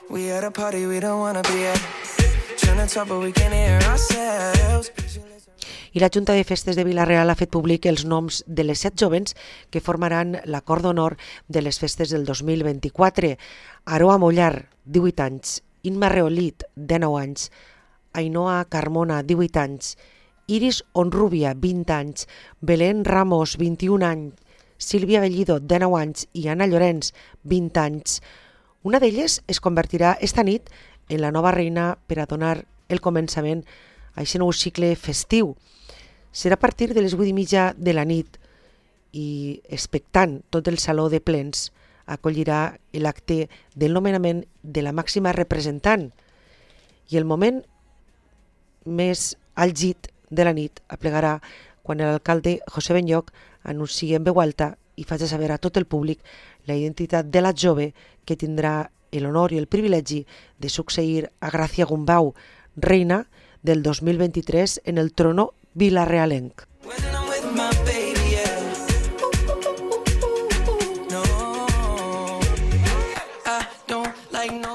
We at a party we don't wanna be at. Trying to talk but we can't hear ourselves. I la Junta de Festes de Vila-real ha fet públic els noms de les 7 jovens que formaran l'acord d'honor de les festes del 2024. Aroa Mollar, 18 anys, Inma Reolit, 19 anys, Ainhoa Carmona, 18 anys, Iris Onrubia, 20 anys, Belén Ramos, 21 anys, Sílvia Bellido, 19 anys i Anna Llorenç, 20 anys. Una d'elles es convertirà esta nit en la nova reina per a donar el començament a aquest nou cicle festiu. Serà a partir de les 8:30 de la nit i expectant tot el saló de plens acollirà l'acte del nomenament de la màxima representant i el moment més àlgid de la nit aplegarà quan l'alcalde José Benlloch anunciï en veu alta i faci saber a tot el públic la identitat de la jove que tindrà l'honor i el privilegi de succeir a Gràcia Gumbau, reina del 2023 en el trono vilarealenc.